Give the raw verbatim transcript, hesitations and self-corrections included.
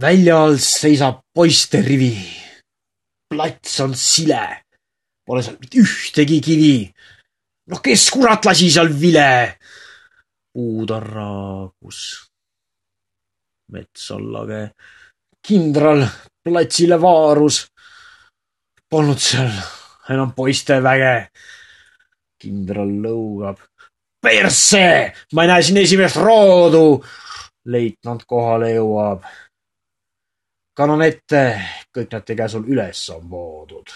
Väljal seisab poiste rivi. Plats on sile. Pole seal mitte ühtegi kivi. No kes kurat lasi seal vile? Puud on raagus. Mets on lage. Kindral platsile vaarus. Polnud seal enam poiste väge. Kindral lõugab. Persse! Ma ei näe siin esimest roodu! Leitnant kohale jõuab. Kannan ette, kõik nad tege sul üles on voodud.